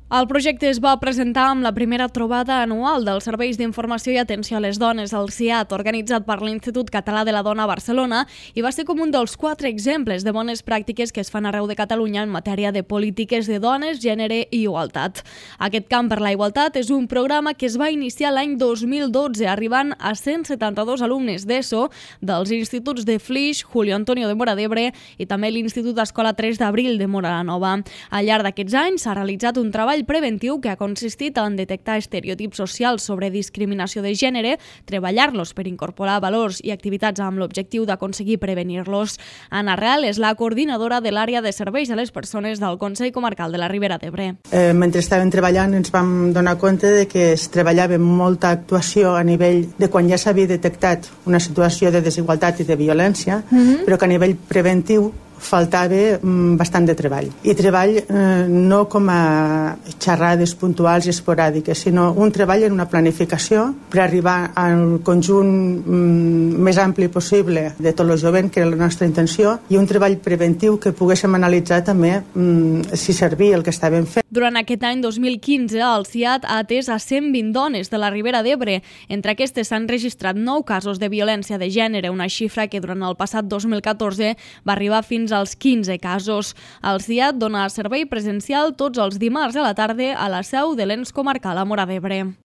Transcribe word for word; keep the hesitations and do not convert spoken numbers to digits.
El projecte es va presentar amb la primera trobada anual dels Serveis d'Informació i Atenció a les Dones, el C I A T, organitzat per l'Institut Català de la Dona a Barcelona, i va ser com un dels quatre exemples de bones pràctiques que es fan arreu de Catalunya en matèria de polítiques de dones, gènere i igualtat. Aquest Camp per la Igualtat és un programa que es va iniciar l'any dos mil dotze, arribant a cent setanta-dos alumnes d'ESO dels instituts de Flix, Julio Antonio de Móra d'Ebre i també l'Institut Escola tres d'abril de Móra la Nova. Al llarg d'aquests anys s'ha realitzat un treball preventiu que ha consistit en detectar estereotips socials sobre discriminació de gènere, treballar-los per incorporar valors i activitats amb l'objectiu d'aconseguir prevenir-los. Anna Real és la coordinadora de l'àrea de serveis a les persones del Consell Comarcal de la Ribera d'Ebre. Eh, mentre estàvem treballant ens vam donar compte de que es treballava molta actuació a nivell de quan ja s'havia detectat una situació de desigualtat i de violència, mm-hmm. però que a nivell preventiu faltava bastant de treball. I treball eh, no com a xerrades puntuals i esporàdiques, sinó un treball en una planificació per arribar al conjunt mm, més ampli possible de tot el jovent, que era la nostra intenció, i un treball preventiu que poguéssim analitzar també mm, si servia el que estàvem fent. Durant aquest any dos mil quinze, el C I A T ha atès a cent vint dones de la Ribera d'Ebre. Entre aquestes s'han registrat nou casos de violència de gènere, una xifra que durant el passat dos mil catorze va arribar fins als quinze casos. El C I A T dona servei presencial tots els dimarts a la tarda a la seu de l'Ens Comarcal a Móra d'Ebre.